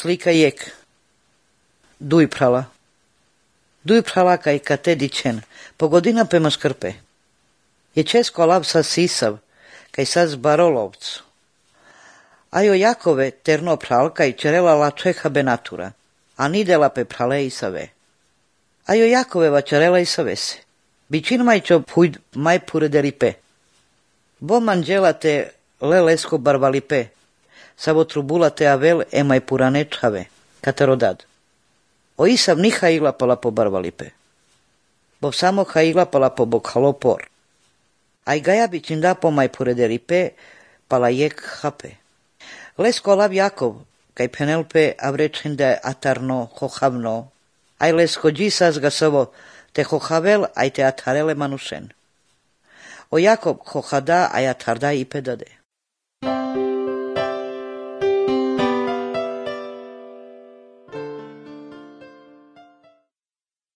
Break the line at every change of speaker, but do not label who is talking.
slika jek. Duj prala kaj kate dičen, pogodina pema škrpe. Je česko lab sa sisav, kaj sa zbarolovcu. Ajo Jakove terno pral kaj čerela la čeha benatura, a nidela pe prale i save. Ajo Jakove va čerela i savese. Bičin maj čo pujd maj purederipe. Bo manđela te lelesko barvalipe, savo trubula te avel e maj purane čave, katerodad. O isav ni haila pala po barvalipe. Bo samo haila pala po bokhalopor. Aj gaja bičin da po maj purederipe, pala jek hape. Lesko lav Jakov, kaj Penelope avrečende atarno, hohavno, aj lesko džisas gasovo, te hohavel aj te atarele manušen. O Jakov hohada aj atarda i pedade.